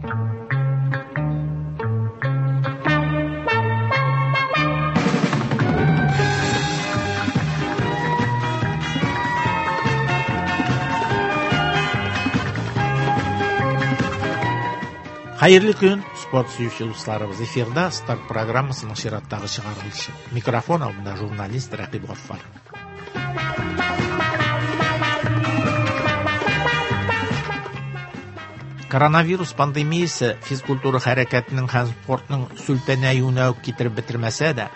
Хәерле көн, спорт сөюче дусларыбыз. Эфирда Старт программасының чираттагы чыгарылышы. Микрофон алдында журналист Рәкыйп Гаффар. Коронавирус пандемиясе физкультура хәрәкәтенең һәм спортның сүлпәнәюенә үк китереп бетермәсә дә,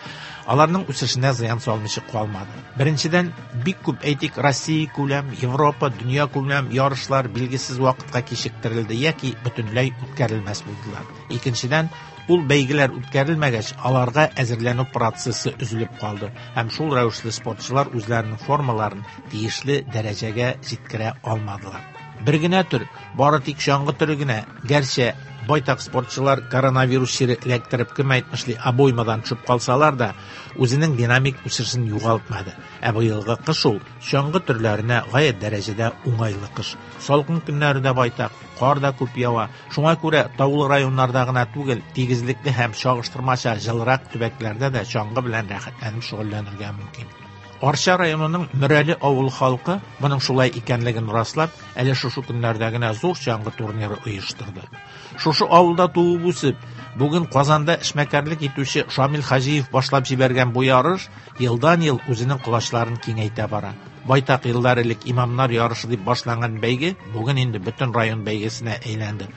аларның үсешенә зыян салмыйча калмады. Беренчедән, бик күп, әйтик, Россия күләм, Европа, дөнья күләм ярышлар билгесез вакытка кичектерелде яки бөтенләй үткәрелмәс булдылар. Икенчедән, ул бәйгеләр үткәрелмәгәч, аларга әзерләнү процессы өзелеп калды һәм шул рәвешле спортчылар үзләренең формаларын тиешле дәрәҗәгә җиткерә алмадылар. Бер генә төр, бары тик чаңгы төре генә, гәрчә байтак спортчылар коронавирус чире эләктереп, кем әйтмешли, обоймадан төшеп калсалар да, үзенең динамик үсешен югалтмады. Ә быелгы кыш ул чаңгы төрләренә гаять дәрәҗәдә уңайлы кыш. Салкын көннәре дә байтак, кар да күп ява. Шуңа күрә таулы районнарда гына түгел, тигезлекле һәм чагыштырмача җылырак төбәкләрдә дә чаңгы белән рәхәтләнеп шөгыльләнергә мөмкин. Арча районының Мөрәле авыл халкы моның шулай икәнлеген раслап, әле шушы көннәрдә генә зур чаңгы турниры оештырды. Шушы авылда туып үсеп, бүген Казанда эшмәкәрлек итүче Шамил Хаҗиев башлап җибәргән бу ярыш елдан-ел үзенең колачларын киңәйтә бара. Байтак еллар элек имамнар ярышы дип башланган бәйге бүген инде бөтен район бәйгесенә әйләнде.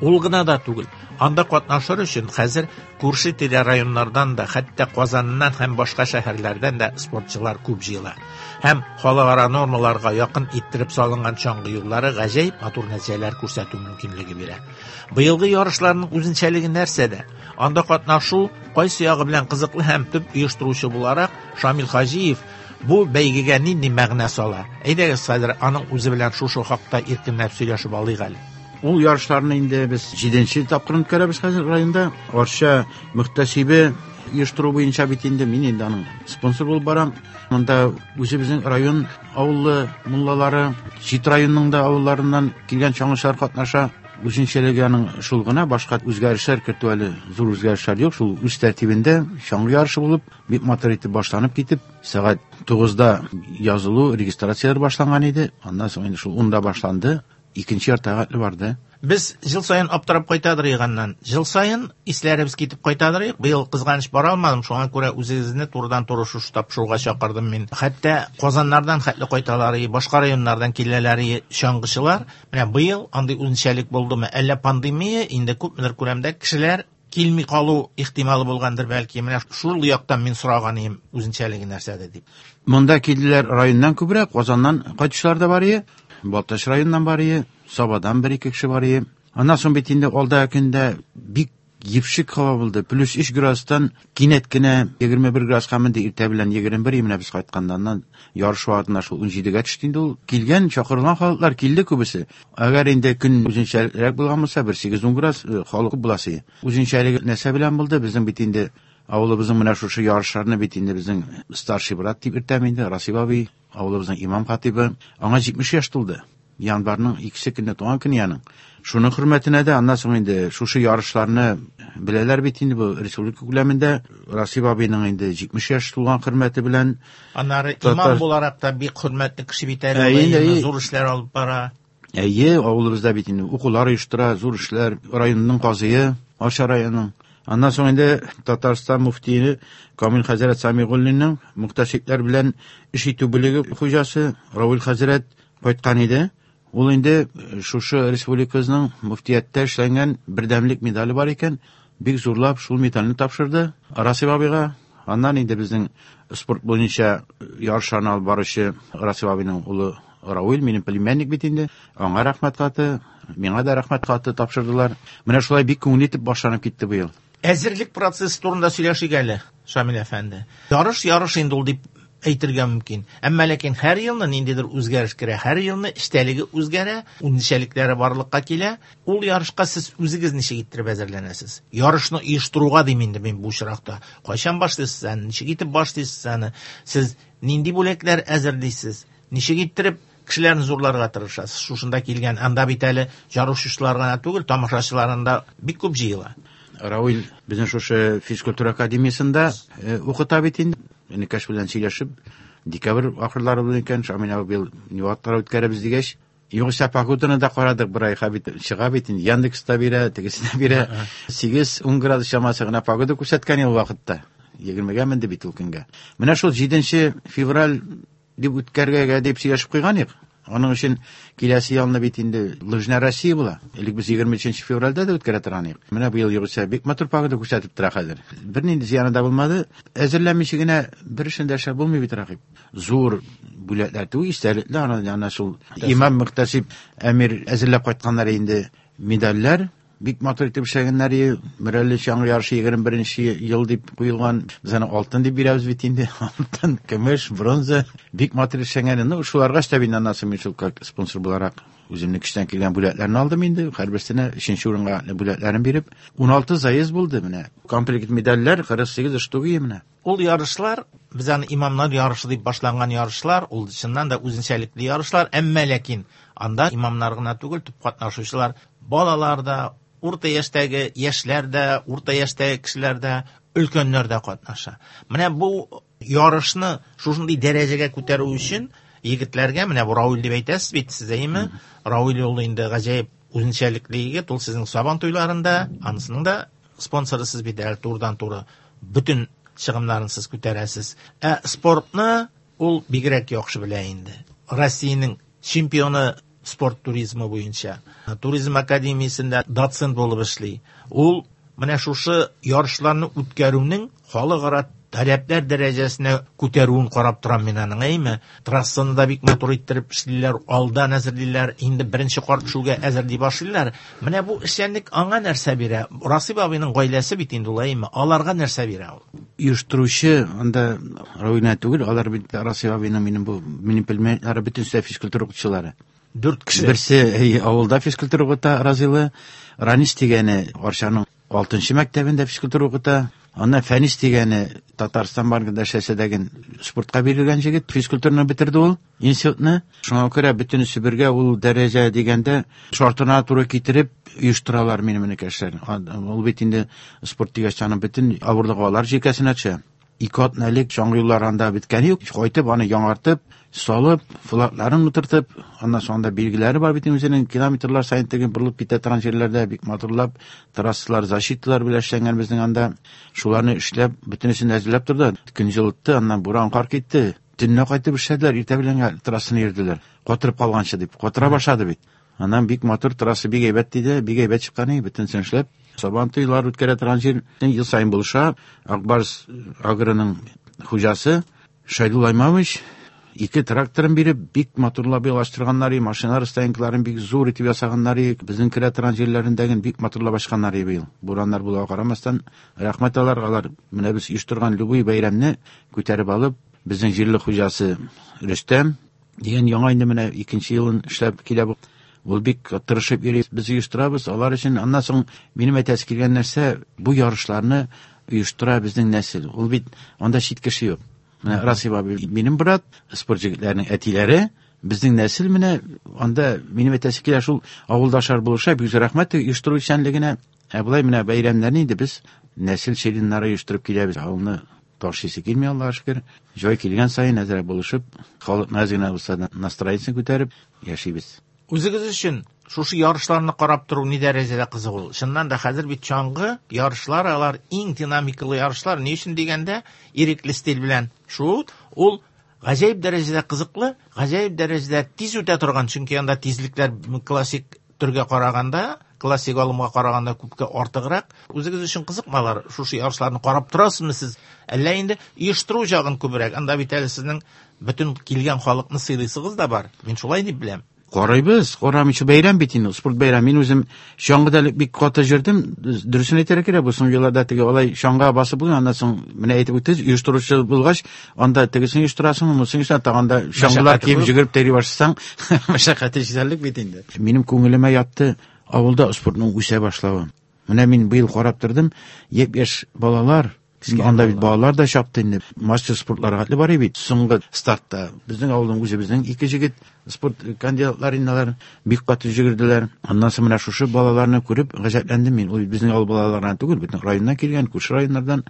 Ул гына да түгел, анда катнашыр өчен хәзер күрше-тирә районнардан да, хәтта Казаннан һәм башка шәһәрләрдән дә спортчылар күп җыела. Һәм халыкара нормаларга якын иттереп салынган чаңгы юллары гаҗәеп матур нәтиҗәләр күрсәтү мөмкинлеге бирә. Быелгы ярышларның үзенчәлеге нәрсәдә? Анда катнашу кайсы ягы белән кызыклы һәм төп оештыручы буларак Шамил Хаҗиев бу бәйгегә нинди мәгънә сала? Әйдәгез хәзер аның үзе белән шушы хакта иркенләп сөйләшеп алыйк әле. Ул ярышларны инде без 7нче тапкыр үткәрәбез хәзер районда. Арча мөхтәсибе оештыру буенча бит инде мин инде аның спонсор булып барам. Монда үзебезнең район авыллы муллалары, чит районның да авылларыннан килгән чаңгычылар катнаша. Үзенчәлеге аның шул гына, башка үзгәрешләр кертү әле зур үзгәрешләр юк. Шул үз тәртибендә чаңгы ярышы булып, бик матур итеп башланып китеп, сәгать 9-да язылу, регистрацияләр башланган иде. Аннан соң инде шул 10-да башланды. Икенче ярты сәгатьле барды. Без ел саен аптырап кайтадыр иганнан. Ел саен исләребез китеп кайтадыр идек. Быел кызганыч бара алмадым, шуңа күрә үзегезне турыдан-туры шушы тапшыруга чакырдым мин. Хәтта Казаннардан хәтле кайталар, башка районнардан киләләр чаңгычылар. Менә быел андый үзенчәлек булдымы? Әллә пандемия инде күпмедер күләмдә кешеләр килми калу ихтималы булгандыр бәлки. Менә шул яктан мин сораган идем, үзенчәлеге нәрсәдә дип. Монда килделәр районнан күбрәк, Казаннан кайтучылар да бар иде, Балтач районыннан бар иде, Сабадан бер ике кеше бар иде. Аннан соң бит инде алда көндә бик епшек һава булды. Плюс 3 градустан кинәт кенә 21 градуска менде, иртә белән 21, менә без кайтканда аннан ярыш вакытында шул 17-гә төште инде ул. Килгән, чакырылган халыклар килде күбесе. Әгәр инде көн үзенчәрәк булган булса, бер 8-10 градус халык күп буласы. Үзенчәлеге нәрсә белән булды? Безнең бит инде авылыбызның менә шушы ярышларны бит инде безнең старший брат дип йөртәм инде, Расиб абый, авылыбызның имам хатибы. Аңа 70 яшь тулды. Январның 2 көне туган көне аның. Шуның хөрмәтенә дә аннан соң инде шушы ярышларны беләләр бит инде бу республика күләмендә. Расиб абыйның инде 70 яшь тулган хөрмәте белән. Аннары имам буларак та бик хөрмәтле кеше бит әле, ул зур эшләр алып бара. Әйе, авылыбызда бит инде укулар оештыра, зур эшләр, районның казые, Арча районының. Аннан соң инде Татарстан муфтие Камил хәзрәт Самигуллинның мөхтәсибләр белән эш итү бүлеге хуҗасы Равил хәзрәт кайткан иде. Ул инде шушы республикабызның муфтияттә эшләнгән бердәмлек медале бар икән, бик зурлап шул медальне тапшырды Расиб абыйга. Аннан инде безнең спорт буенча ярышларны алып баручы Расиб абыйның улы Рауил, минем племянник бит инде, аңа рәхмәт хаты, миңа да рәхмәт хаты тапшырдылар. Менә шулай бик күңелле итеп башланып китте быел. Әзерлек процессы турында сөйләшик әле, Шамил әфәнде. Ярыш ярыш инде ул дип әйтергә мөмкин. Әмма ләкин һәр елны ниндидер үзгәреш керә, һәр елны эчтәлеге үзгәрә, үзенчәлекләре барлыкка килә. Ул ярышка сез үзегез ничек иттереп әзерләнәсез? Ярышны оештыруга дим инде мин бу очракта. Кайчан башлыйсыз аны, ничек итеп башлыйсыз аны? Сез нинди бүләкләр әзерлисез? Ничек иттереп Кешеләрне зурларга тырышасыз. Шушында килгән, анда бит әле ярышучылар гына түгел, тамашачылар анда бик күп җыела. Рауил безнең шушы физкультура академиясендә укыта бит инде. Энекәш белән сөйләшеп, декабрь ахырлары булган икән, Шамил абый быел ни вакытлар үткәрәбез дигәч, югыйсә погоданы да карадык бер айга бит, чыга бит инде, Яндекс та бирә, тегесе дә бирә. 8-10 градус чамасы гына погода күрсәткән ул вакытта. 20-гә менде бит ул көнгә. Менә шул 7 февраль дип үткәргә дип сөйләшеп куйган идек. Аның өчен киләсе елны бит инде Лыжная Россия була. Элек без 23 февральдә дә үткәрә торган идек. Менә быел югыйсә бик матур погода күрсәтеп тора хәзер. Бернинди зыяны да булмады. Әзерләнмичә генә бер эшне дә эшләп булмый бит, Рәхип. Зур бүләкләр түгел, истәлекле, ана шул имам мөхтәсиб әмир әзерләп кайтканнар инде медальләр. Бик матур итеп эшләгәннәр, Мөрәле чаңгы ярышы 21 ел дип куелган. Без аны алтын дип бирәбез бит инде. Алтын, көмеш, бронза. Бик матур эшләгән. Ну, шуларга өстәп инде аннан соң мин шул как спонсор буларак үземнең көчтән килгән бүләкләрне алдым инде. Һәрберсенә 3 урынга бүләкләрен биреп, 16 заезд булды менә. Комплект медальләр 48 штук менә. Ул ярышлар, без аны имамнар ярышы дип башланган ярышлар, ул чыннан да үзенчәлекле ярышлар, әмма ләкин анда имамнар гына түгел, төп катнашучылар балалар да, урта яшьтәге яшьләр дә, урта яшьтәге кешеләр дә, өлкәннәр дә катнаша. Менә бу ярышны шушындый дәрәҗәгә күтәрү өчен егетләргә, менә бу Рауил дип әйтәсез бит сез, әйеме? Рауил ул инде гаҗәеп үзенчәлекле егет, ул сезнең Сабан туйларында, анысының да спонсоры сез бит әле турыдан-туры бөтен чыгымнарын сез күтәрәсез. Ә спортны ул бигрәк яхшы белә инде. Россиянең чемпионы спорт туризмы буенча. Туризм академиясендә доцент булып эшли. Ул менә шушы ярышларны үткәрүнең халыкара таләпләр дәрәҗәсенә күтәрүен карап торам мин аның, әйме? Трассаны да бик матур иттереп эшлиләр, алдан әзерлиләр, инде беренче кар төшүгә әзерли башлыйлар. Менә бу эшчәнлек аңа нәрсә бирә? Расип абыйның гаиләсе бит инде ул, әйме? Аларга нәрсә бирә ул? Оештыручы анда Рауил түгел, алар бит Расип абыйның минем бу минем пельменнары бөтенесе физкультура укытучылары. 4 кеше. Берсе авылда физкультура укыта, Разилы, Ранис дигәне Арчаның 6 мәктәбендә физкультура укыта. Аннан Фәнис дигәне Татарстан банкында эшләсә дә спортка бирелгән җегет, физкультураны бетерде ул, институтны. Шуңа күрә бөтенесе бергә ул дәрәҗә дигәндә шартына туры китереп оештыралар минем энекәшләр. Ул бит инде спорт дигәч аның бөтен авырлыгы алар җилкәсенә төшә. 2 атна элек чаңгы юллары анда беткән юк. Кайтып аны яңартып, салып, флагларын утыртып, аннан соң анда билгеләре бар бит үзенең километрлар саен теге борылып китә торган җирләрдә бик матурлап трассалар, защиталар белән эшләнгән безнең анда. Шуларны эшләп, бөтенесен әзерләп торды. Көн җылытты, аннан буран кар китте. Төнлә кайтып эшләделәр, иртә белән трассаны йөрделәр. Катырып калганчы дип, катыра башлады бит. Аннан бик матур трасса бик әйбәт диде, бик әйбәт чыккан, бөтенесен эшләп. Сабан туйлар үткәрә торган җир ел саен булыша. Акбарс агроның хуҗасы Шайдулла Имамович 2 тракторын биреп, бик матурлап ялаштырганнар, машиналар стоянкаларын бик зур итеп ясаганнар, безнең керә торган җирләрендәген бик матурлап ачканнар быел. Бураннар булуга карамастан, рәхмәт аларга, алар менә без оештырган любой бәйрәмне күтәреп алып, безнең җирле хуҗасы Рөстәм дигән яңа инде менә 2 елын эшләп килә бу. Ул бик тырышып йөри, без оештырабыз алар өчен. Аннан соң минем әйтәсе килгән нәрсә, бу ярышларны оештыра безнең нәсел. Ул бит анда чит кеше юк. Менә Расип абый минем брат, спорт җегетләренең әтиләре, безнең нәсел менә анда минем әйтәсе килә шул авылдашлар булыша, бик зур рәхмәт оештыру эшчәнлегенә. Ә болай менә бәйрәмнәрне инде без нәсел членнары оештырып киләбез. Авылны ташыйсы килми, Аллаһка шөкер. Җай килгән саен әзрәк булышып, халыкны әз генә булса да настроениесен күтәреп яшибез. Үзегез өчен шушы ярышларны карап тору ни дәрәҗәдә кызык ул? Чыннан да хәзер бит чаңгы ярышлар, алар иң динамикалы ярышлар. Ни өчен дигәндә, ирекле стиль белән шуу, ул гаҗәеп дәрәҗәдә кызыклы, гаҗәеп дәрәҗәдә тиз үтә торган, чөнки анда тизлекләр классик төргә караганда, классик алымга караганда күпкә артыграк. Үзегез өчен кызыкмы алар? Шушы ярышларны карап торасызмы сез? Әллә инде оештыру җагын күбрәк? Анда бит әле сезнең бөтен килгән халыкны сыйлыйсыгыз да бар. Мин шулай дип беләм. Карыйбыз, карамыйча бәйрәм бит инде, спорт бәйрәм. Мин үзем чаңгыда элек бик каты йөрдем. Дөресен әйтергә кирәк, бу соңгы елларда теге алай чаңга басып булмый, аннан соң менә әйтеп үттегез, оештыручы булгач, анда тегесен оештырасың, монысын оештырасың, тагын да чаңгылар киеп йөгереп тәри башласаң, мәшәкате җитәрлек бит инде. Минем күңелемә ятты авылда спортның үсә башлавы. Менә мин быел карап тордым, япь-яшь балалар Анда бит балалар да чапты инде. Мастер спортларга хәтле бар бит. Соңгы стартта безнең авылның үзебезнең ике җегет спорт кандидатлары инде алар бик каты җөгерделәр. Аннан соң менә шушы балаларны күреп гаҗәпләндем мин. Ул безнең авыл балаларына түгел, бөтен районнан килгән, күрше районнардан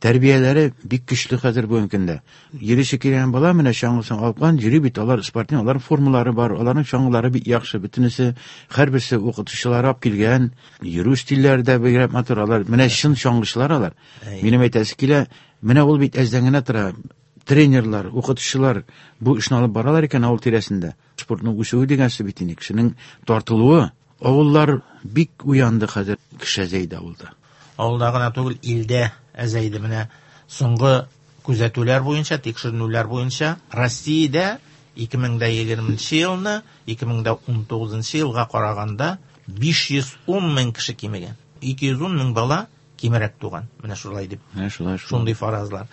тәрбияләре бик көчле хәзер бүгенге көндә. Йөрисе килгән бала менә чаңгысын алып куйган, йөри бит, алар спортивный, аларның формалары бар, аларның чаңгылары бик яхшы, бөтенесе, һәрберсе укытучылары алып килгән, йөрү стильләре дә бигрәк матур, алар менә чын чаңгычылар алар. Минем әйтәсе килә, менә ул бит әздән генә тора. Тренерлар, укытучылар бу эшне алып баралар икән авыл тирәсендә. Спортның үсүе дигән сүз бит инде, кешенең тартылуы. Авыллар бик уянды хәзер, кеше әзәйде авылда. Авылда гына түгел, илдә әзәйде. Менә соңгы күзәтүләр буенча, тикшеренүләр буенча Россиядә 2020 елны 2019 елга караганда 510 мең кеше кимегән. 210 мең бала кимерәк туган. Менә шулай дип. Менә шулай, шулай. Шундый фаразлар.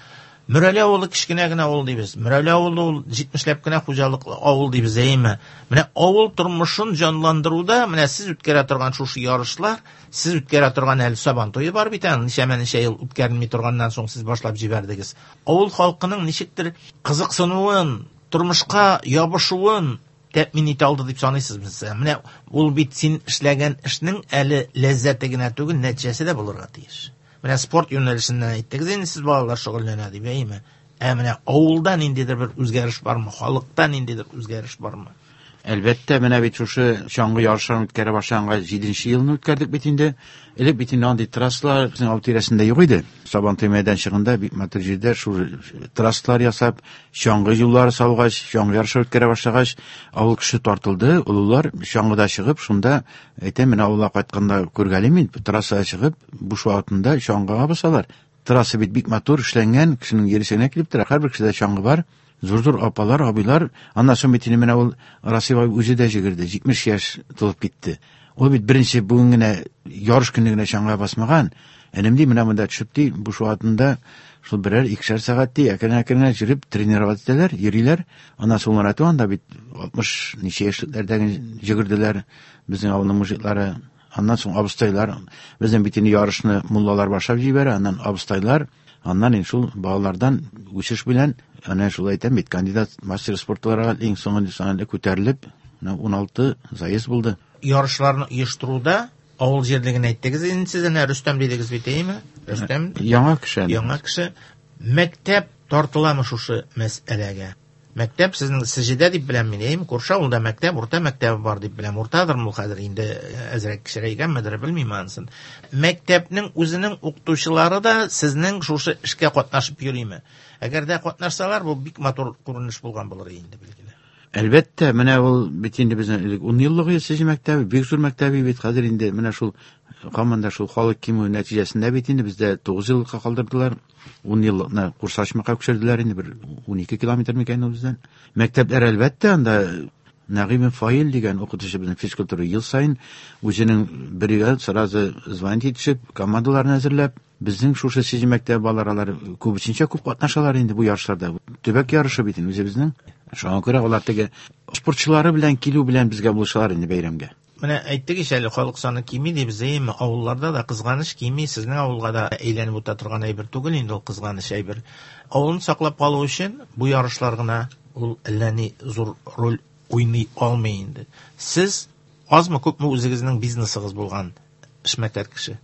Мөрәле авылы кечкенә генә авыл дибез. Мөрәле авылы ул 70ләп кенә хуҗалыклы авыл дибез, әйеме? Менә авыл тормышын җанландыруда менә сез үткәрә торган шушы ярышлар, сез үткәрә торган әле Сабан туе бар бит әле, ничәмә-ничә ел үткәрелми торганнан соң сез башлап җибәрдегез. Авыл халкының ничектер кызыксынуын, тормышка ябышуын тәэмин итә алды дип саныйсызмы сез? Менә ул бит син эшләгән эшнең әле ләззәте генә түгел, нәтиҗәсе дә булырга тиеш. Менә спорт юнәлешеннән әйттегез инде, сез балалар шөгыльләнә дип, әйеме? Ә менә авылда ниндидер бер үзгәреш бармы? Халыкта ниндидер үзгәреш бармы? Әлбәттә, менә бит шушы чаңгы ярышларын үткәрә башлаганга 7 елны үткәрдек бит инде. Элек бит инде андый трассалар безнең авыл тирәсендә юк иде. Сабантуй мәйданчыгында бик матур җирдә шул трассалар ясап, чаңгы юллары салгач, чаңгы ярышы үткәрә башлагач, авыл кеше тартылды, олылар чаңгыда чыгып, шунда әйтәм, менә авылга кайтканда күргәлим мин, трассага чыгып, буш вакытында чаңгыга басалар. Трасса бит бик матур эшләнгән, кешенең йөресенә килеп тора, һәрбер кешедә чаңгы бар. Зур-зур апалар, абыйлар, аннан соң бит инде менә ул Расыйм абый үзе дә җигерде, 70 яшь тулып китте. Ул бит беренче бүген генә ярыш көне генә чаңгыга басмаган. Энем ди, менә монда төшеп ди, буш вакытында шул берәр икешәр сәгать ди, әкрен-әкрен йөреп тренировать итәләр, йөриләр. Аннан соң улар әйтә, анда бит 60 ничә яшьлекләрдәге җигерделәр безнең авылның мужиклары. Аннан соң абыстайлар, безнең бит инде ярышны муллалар башлап җибәрә, аннан абыстайлар, аннан инде шул балалардан үсеш белән, әнә шул әйтәм бит, кандидат мастер спортларга иң соңгы санында күтәрелеп, менә 16 заезд булды. Ярышларны оештыруда авыл җирлеген әйттегез инде сез, әнә Рөстәм дидегез бит, әйеме? Рөстәм. Яңа кеше әле. Яңа кеше. Мәктәп тартыламы шушы мәсьәләгә? Мәктәп сезнең Сеҗедә дип беләм мин, әйеме? Күрше авылда мәктәп, урта мәктәбе бар дип беләм. Уртадырмы ул хәзер инде әзрәк кечерәйгәнмедер, белмим анысын. Мәктәпнең үзенең укытучылары да сезнең шушы эшкә катнашып йөриме? Әгәр дә катнашсалар, бу бик матур күренеш булган булыр инде, билгеле. Әлбәттә, менә ул бит инде безнең элек 10 еллык Сеҗе мәктәбе, бик зур мәктәбе бит, хәзер инде менә шул һаман да шул халык кимү нәтиҗәсендә бит инде бездә 9 еллыкка калдырдылар. 10 еллыкны Курсачмакка күчерделәр инде, бер 12 километр микән ул бездән. Мәктәпләр әлбәттә анда Нәгыйм Фаил дигән укытучы безнең физкультура ел саен үзенең бригада сразу звонить итешеп, командаларын әзерләп, безнең шушы Сеҗе мәктәбе балалары алар күбесенчә күп катнашалар инде бу ярышларда. Төбәк ярышы бит инде үзебезнең. Шуңа күрә алар теге спортчылары белән килү белән безгә булышалар инде бәйрәмгә. Менә әйттек ич әле, халык саны кими дибез, әйеме? Авылларда да кызганыч кими, сезнең авылга да әйләнеп үтә торган әйбер түгел инде ул кызганыч әйбер. Авылны саклап калу өчен бу ярышлар гына ул әллә ни зур роль уйный алмый инде. Сез азмы күпме үзегезнең бизнесыгыз булган эшмәкәр кеше.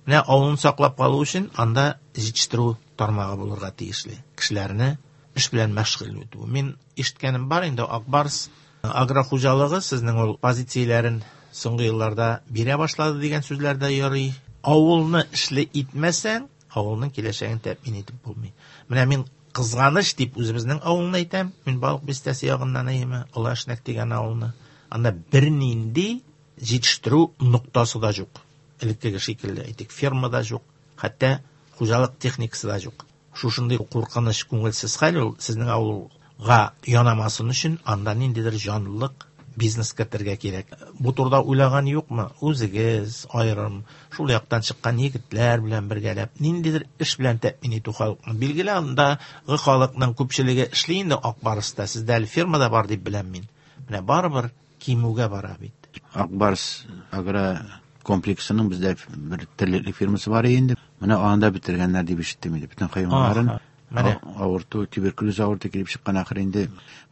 Менә авылны саклап калу өчен анда җитештерү тармагы булырга тиешле. Кешеләрне эш белән мәшгуль итү. Мин ишеткәнем бар инде, Ак Барс агрохуҗалыгы сезнең ул позицияләрен соңгы елларда бирә башлады дигән сүзләр дә йөри. Авылны эшле итмәсәң, авылның киләчәген тәэмин итеп булмый. Менә мин кызганыч дип үзебезнең авылны әйтәм. Мин Балык Бистәсе ягыннан әйеме, Олы Әшнәк дигән авылны. Анда бернинди җитештерү ноктасы да юк. Элеккеге шикелле, әйтик, ферма да юк, хәтта хуҗалык техникасы да юк. Шушындый куркыныч, күңелсез хәл ул сезнең авылга янамасын өчен анда ниндидер җанлылык, бизнес кертергә кирәк. Бу турыда уйлаган юкмы? Үзегез аерым шул яктан чыккан егетләр белән бергәләп ниндидер эш белән тәэмин итү халыкны. Билгеле, андагы халыкның күпчелеге эшли инде Ак Барста. Сездә әле ферма да бар дип беләм мин. Менә барыбер кимүгә бара бит. Ак Барс агро Комплексының бездә бер терлеклек фирмасы бар инде. Менә аны да бетергәннәр дип ишеттем инде. Бөтен хайваннарын. Менә авырту, туберкулез авырту килеп чыккан ахыр инде.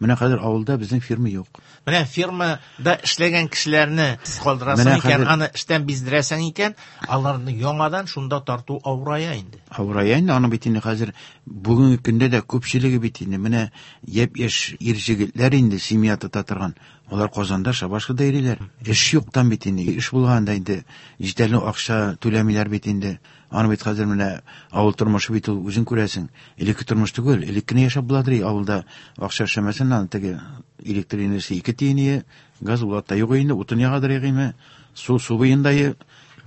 Менә хәзер авылда безнең фирма юк. Менә фирмада эшләгән кешеләрне сез калдырасың икән, аны эштән биздерәсең икән, аларны яңадан шунда тарту авырая инде. Авырая инде, аны бит инде хәзер бүгенге көндә дә күпчелеге бит инде менә япь-яшь ир җегетләр инде семья тота торган. Алар Казанда, Шабашкада йөриләр. Эш юктан бит инде. Эш булганда инде җитәрлек акча түләмиләр бит инде. Аны бит хәзер менә авыл тормышы бит ул үзең күрәсең. Элекке тормыш түгел, элек кенә яшәп буладыр авылда. Акча эшләмәсәң, аны теге электр энергиясе 2 тиен, газ ул та юк инде, утын ягадыр ягыйме, су су буенда.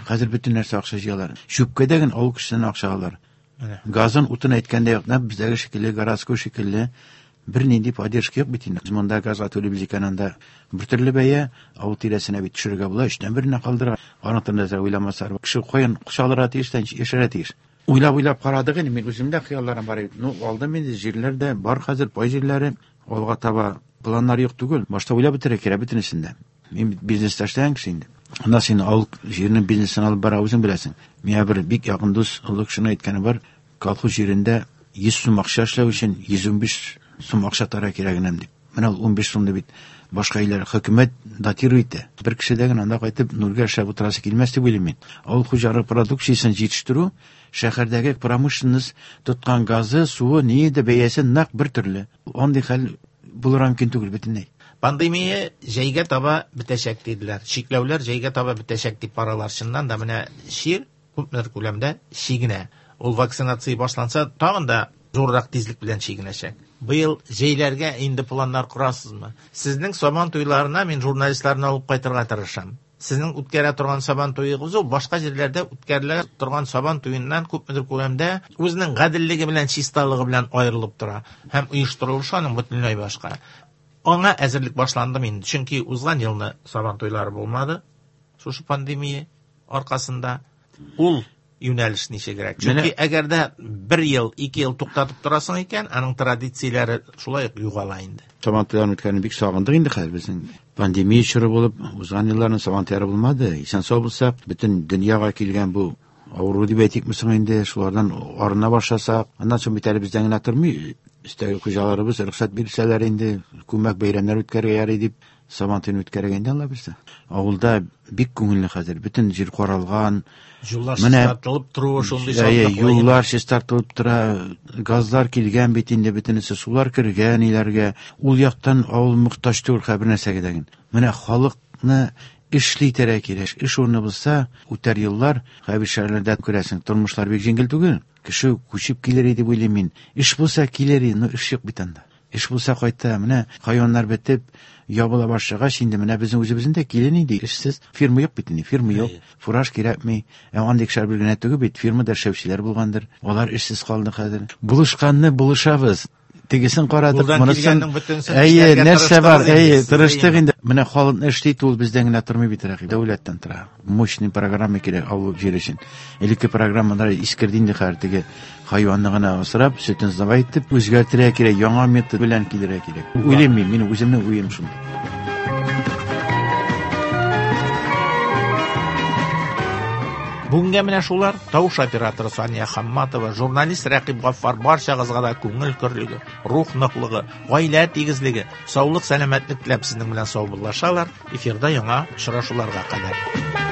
Хәзер бөтен нәрсә акча җыялар. Чүпкә дә генә авыл кешесеннән акча алалар. Газын, утын әйткәндә юк, бездәге шикелле, городской шикелле бер нинди поддержка юк бит инде. Без монда газга түлибез икән, анда бер төрле бәя, авыл тирәсенә бит төшерергә була, өчтән беренә калдыра. Аның турында да уйламасалар, кеше каян акча тиеш, яшәргә тиеш. Уйлап-уйлап карадык инде, мин үземдә хыялларым бар иде. Ну, алдым инде, җирләр дә бар хәзер, пай җирләре. Алга таба планнар юк түгел. Башта уйлап бетерергә кирәк бөтенесен дә. Мин бизнеста эшләгән кеше инде. Анда син авыл җиренең бизнесын алып бара үзең беләсең. Миңа бер бик якын дус, олы кешенең әйткәне бар, колхоз җирендә 100 сум акча эшләү өчен 115 сум акча тара кирәгенәм дип. Менә ул 15 сумны бит башка илләр хөкүмәт датирует итә. Бер кеше дә генә анда кайтып нульгә эшләп утырасы килмәс дип уйлыйм мин. Авыл хуҗалыгы продукциясен җитештерү шәһәрдәге промышленность тоткан газы, суы, ние дә бәясе нәкъ бер төрле. Андый хәл булырга мөмкин түгел бөтенләй. Пандемия җәйгә таба бетәчәк диделәр. Чикләүләр җәйгә таба бетәчәк дип баралар. Чыннан да менә чир күпмедер күләмдә чигенә. Ул вакцинация башланса, тагын да зуррак тизлек белән чигенәчәк. Быел җәйләргә инде планнар корасызмы? Сезнең сабан туйларына мин журналистларны алып кайтырга тырышам. Сезнең үткәрә торган сабан туегыз ул башка җирләрдә үткәрелә торган сабан туеннан күпмедер күләмдә үзенең гаделлеге белән, чисталыгы белән аерылып тора һәм оештырылышы аның бөтенләй башка. Аңа әзерлек башланды инде, чөнки узган елны сабан туйлары булмады. Шушы пандемия аркасында ул юнәлеш ничегрәк? Чөнки әгәр дә бер ел, 2 ел туктатып торасың икән, аның традицияләре шулай ук югала инде. Сабан туйларын үткәрүне бик сагындык инде хәзер безнең. Пандемия чоры булып, узган елларның сабан туйлары булмады. Исән сау булсак, бөтен дөньяга килгән бу авыру дип әйтикме соң инде, шулардан арына башласак, аннан соң бит әле бездән генә тормый, өстәге хуҗаларыбыз рөхсәт бирсәләр инде, күмәк бәйрәмнәр үткәрергә ярый дип, сабан туен үткәрергә инде Алла бирсә. Авылда бик күңелле хәзер, бөтен җир каралган. Юллар чистартылып торуы шундый шатлыклы. Юллар чистартылып тора, газлар килгән бит инде, бөтенесе сулар кергән өйләргә. Ул яктан авыл мохтаҗ түгел хәзер бер нәрсәгә дә. Менә халыкны эшли итәргә кирәк. Эш урыны булса, үтәр еллар, хәзер шәһәрләрдә күрәсең, тормышлар бик җиңел түгел. Кеше күчеп килер иде дип уйлыйм мин. Эш булса килер иде, но эш юк бит анда. Эш булса кайта, менә хайваннар бетеп, ябыла башлагач, инде менә безнең үзебезнең дә килен инде эшсез. Фирма юк бит инде, фирма юк. Фураж кирәкми. Ә андый кешеләр бер генә түгел бит, фирмада эшләүчеләр булгандыр. Алар эшсез калды хәзер. Булышканны булышабыз. Тегесен карадык, монысын. Әйе, нәрсә бар, әйе, тырыштык инде. Менә халыкны эшли ул бездән генә тормый бит, Рәхим. Дәүләттән тора. Мощный программа кирәк авыл җире өчен. Элекке программалар искерде инде хәзер теге хайванны гына асрап, сөтен сдавать итеп, үзгәртергә кирәк, яңа метод белән килергә кирәк. Уйлыйм мин, минем үземнең уем шундый. Бүгенгә менә шулар. Тавыш операторы Сания Хамматова, журналист Рәкыйп Гаффар барчагызга да күңел көрлеге, рух ныклыгы, гаилә тигезлеге, саулык, сәламәтлек теләп сезнең белән саубуллашалар. Эфирда яңа очрашуларга кадәр.